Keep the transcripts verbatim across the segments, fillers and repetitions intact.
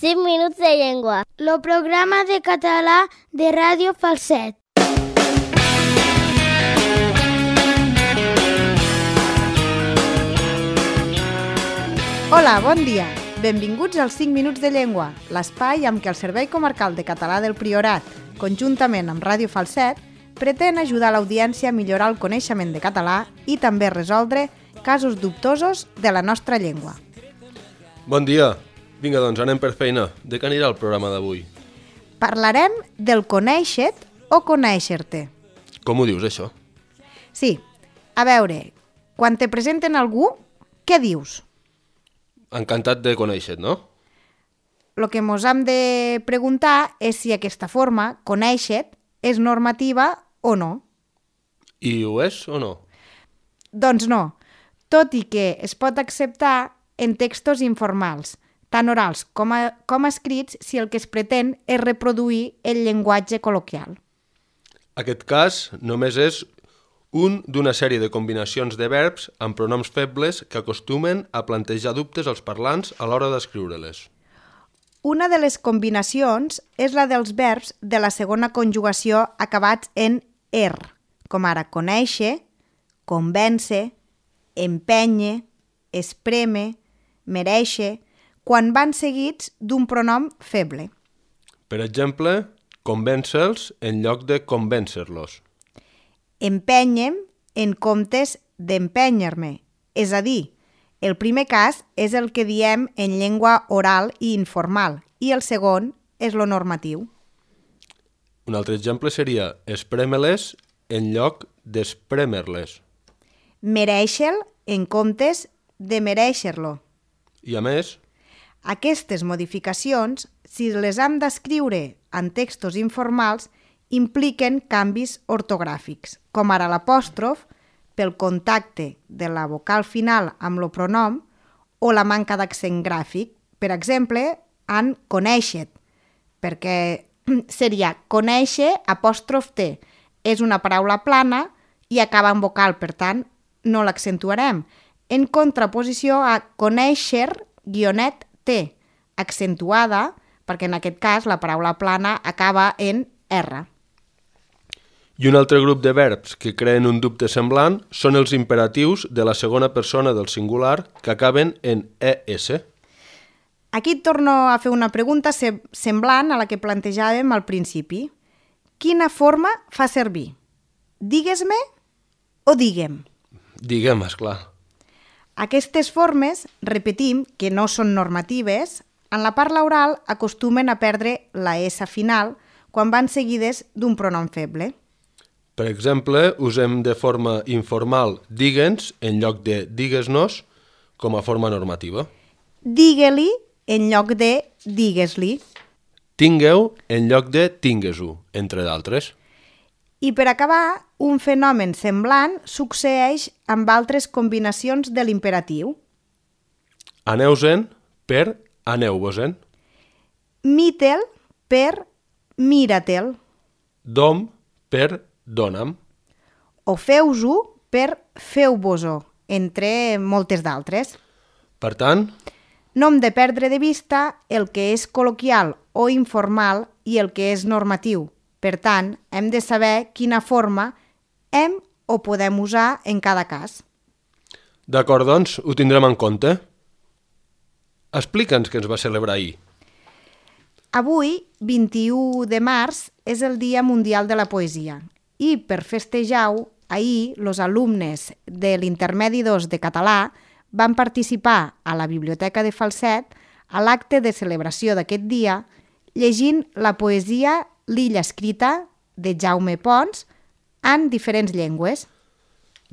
cinc minuts de llengua. El programa de català de Ràdio Falset. Hola, bon dia. Benvinguts als cinc minuts de llengua, l'espai amb què el Servei Comarcal de Català del Priorat, conjuntament amb Ràdio Falset, pretén ajudar l'audiència a millorar el coneixement de català i també resoldre casos dubtosos de la nostra llengua. Bon dia. Vinga, doncs, anem per feina. De què anirà el programa d'avui? Parlarem del conèixer-te o conèixer-te. Com ho dius, això? Sí, a veure, quan te presenten algú, què dius? Encantat de conèixer-te, no? El que mos hem de preguntar és si aquesta forma, conèixer-te, és normativa o no. I ho és o no? Doncs no, tot i que es pot acceptar en textos informals, tant orals com, a, com escrits, si el que es pretén és reproduir el llenguatge col·loquial. Aquest cas només és un d'una sèrie de combinacions de verbs amb pronoms febles que acostumen a plantejar dubtes als parlants a l'hora d'escriure-les. Una de les combinacions és la dels verbs de la segona conjugació acabats en er, com ara conèixer, convèncer, empènyer, espreme, merèixer, quan van seguits d'un pronom feble. Per exemple, convèncer-los en lloc de convèncer-los. Empènyem en comptes d'empènyer-me, és a dir, el primer cas és el que diem en llengua oral i informal i el segon és lo normatiu. Un altre exemple seria esprémer-les en lloc d'esprémer-les. Merèixer-lo en comptes de merèixer-lo. I a més, aquestes modificacions, si les hem d'escriure en textos informals, impliquen canvis ortogràfics, com ara l'apòstrof, pel contacte de la vocal final amb el pronom o la manca d'accent gràfic, per exemple, en conèixer, perquè seria conèixer apòstrof T. És una paraula plana i acaba en vocal, per tant, no l'accentuarem, en contraposició a conèixer guionet T, accentuada, perquè en aquest cas la paraula plana acaba en R. I un altre grup de verbs que creen un dubte semblant són els imperatius de la segona persona del singular que acaben en es. Aquí et torno a fer una pregunta semblant a la que plantejàvem al principi. Quina forma fa servir? Digues-me o digue'm? Digue'm, esclar. Aquestes formes, repetim, que no són normatives, en la parla oral acostumen a perdre la S final quan van seguides d'un pronom feble. Per exemple, usem de forma informal digue'ns en lloc de digues-nos com a forma normativa. Digue-li en lloc de digues-li. Tingueu en lloc de tingues-ho, entre d'altres. I per acabar, un fenomen semblant succeeix amb altres combinacions de l'imperatiu. Aneu-se'n per aneu-vos-en. Mitel per mira-te'l. Dom per dona'm. O feu-ho per feu-vos-ho, entre moltes d'altres. Per tant, no hem de perdre de vista el que és col·loquial o informal i el que és normatiu. Per tant, hem de saber quina forma hem o podem usar en cada cas. D'acord, doncs, ho tindrem en compte. Explica'ns què ens va celebrar ahir. Avui, vint-i-u de març, és el Dia Mundial de la Poesia i per festejar-ho, ahir, els alumnes de l'intermedi dos de català van participar a la Biblioteca de Falset a l'acte de celebració d'aquest dia llegint la poesia L'illa escrita de Jaume Pons en diferents llengües.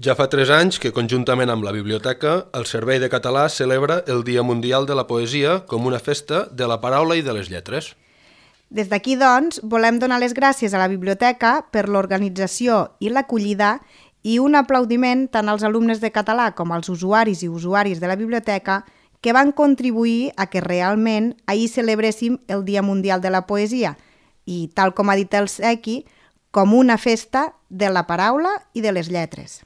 Ja fa tres anys que, conjuntament amb la biblioteca, el Servei de Català celebra el Dia Mundial de la Poesia com una festa de la paraula i de les lletres. Des d'aquí, doncs, volem donar les gràcies a la biblioteca per l'organització i l'acollida i un aplaudiment tant als alumnes de català com als usuaris i usuaris de la biblioteca que van contribuir a que realment ahir celebréssim el Dia Mundial de la Poesia i, tal com ha dit el Sequi, com una festa de la paraula i de les lletres.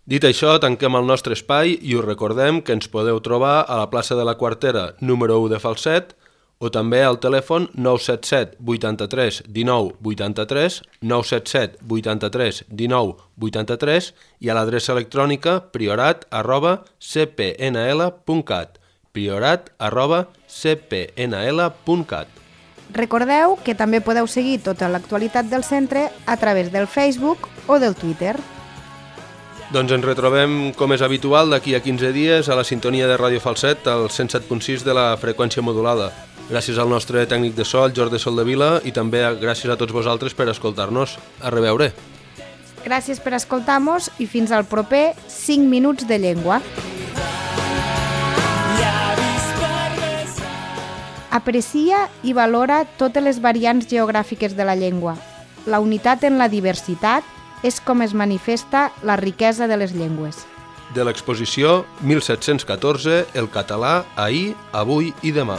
Dit això, tanquem el nostre espai i us recordem que ens podeu trobar a la plaça de la Quartera número u de Falset o també al telèfon nou set set vuitanta-tres dinou vuitanta-tres, nou set set vuitanta-tres dinou vuitanta-tres i a l'adreça electrònica priorat arroba c p n l punt cat, priorat arroba c p n l punt cat. Recordeu que també podeu seguir tota l'actualitat del centre a través del Facebook o del Twitter. Doncs ens retrobem, com és habitual, d'aquí a quinze dies a la sintonia de Ràdio Falset, al cent set punt sis de la freqüència modulada. Gràcies al nostre tècnic de so, el Jordi Soldevila, i també gràcies a tots vosaltres per escoltar-nos. A reveure. Gràcies per escoltar-nos i fins al proper cinc minuts de llengua. Aprecia i valora totes les variants geogràfiques de la llengua. La unitat en la diversitat és com es manifesta la riquesa de les llengües. De l'exposició mil set-cents catorze, el català ahir, avui i demà.